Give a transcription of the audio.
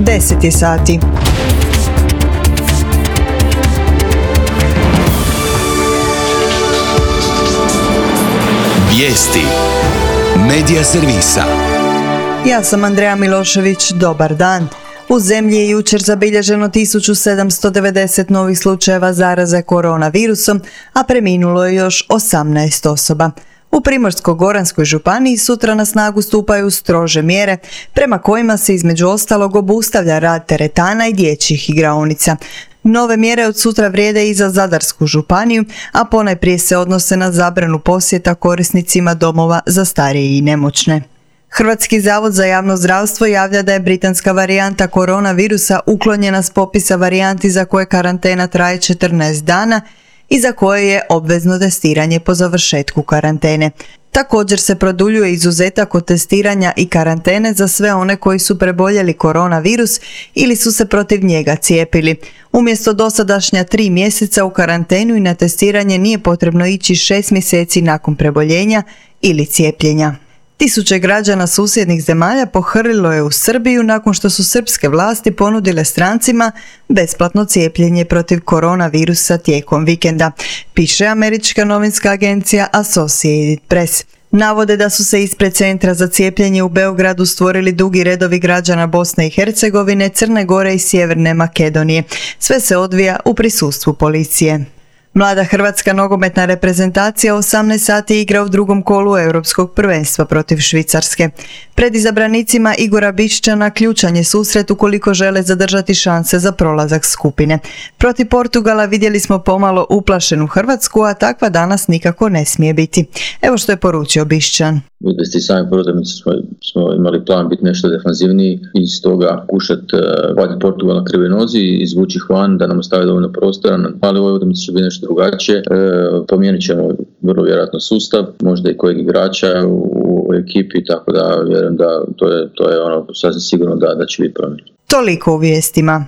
10 je sati. Vijesti Medija servisa. Ja sam Andreja Milošević, dobar dan. U zemlji je jučer zabilježeno 1790 novih slučajeva zaraze koronavirusom, a preminulo je još 18 osoba. U Primorsko-goranskoj županiji sutra na snagu stupaju strože mjere, prema kojima se između ostalog obustavlja rad teretana i dječjih igraonica. Nove mjere od sutra vrijede i za Zadarsku županiju, a ponajprije se odnose na zabranu posjeta korisnicima domova za starije i nemoćne. Hrvatski zavod za javno zdravstvo javlja da je britanska varijanta koronavirusa uklonjena s popisa varijanti za koje karantena traje 14 dana i za koje je obvezno testiranje po završetku karantene. Također se produljuje izuzetak od testiranja i karantene za sve one koji su preboljeli koronavirus ili su se protiv njega cijepili. Umjesto dosadašnja 3 mjeseca u karantenu i na testiranje nije potrebno ići 6 mjeseci nakon preboljenja ili cijepljenja. Tisuće građana susjednih zemalja pohrlilo je u Srbiju nakon što su srpske vlasti ponudile strancima besplatno cijepljenje protiv koronavirusa tijekom vikenda, piše američka novinska agencija Associated Press. Navode da su se ispred centra za cijepljenje u Beogradu stvorili dugi redovi građana Bosne i Hercegovine, Crne Gore i Sjeverne Makedonije. Sve se odvija u prisustvu policije. Mlada hrvatska nogometna reprezentacija 18 sati igra u drugom kolu Europskog prvenstva protiv Švicarske. Pred izabranicima Igora Bišćana ključan je susret ukoliko žele zadržati šanse za prolazak skupine. Protiv Portugala vidjeli smo pomalo uplašenu Hrvatsku, a takva danas nikako ne smije biti. Evo što je poručio Bišćan. Vidjeli ste sami prvo da smo imali plan biti nešto defanzivniji i iz toga kušati vaditi Portugal na krivoj nozi i izvući ih van da nam ostavi dovoljno prostora, ali ovoj utakmici će biti nešto drugačije. Promijenit ćemo vrlo vjerojatno sustav, možda i kojeg igrača u ekipi, tako da vjerujem da to je ono sasvim sigurno da će biti promjena. Toliko u vijestima.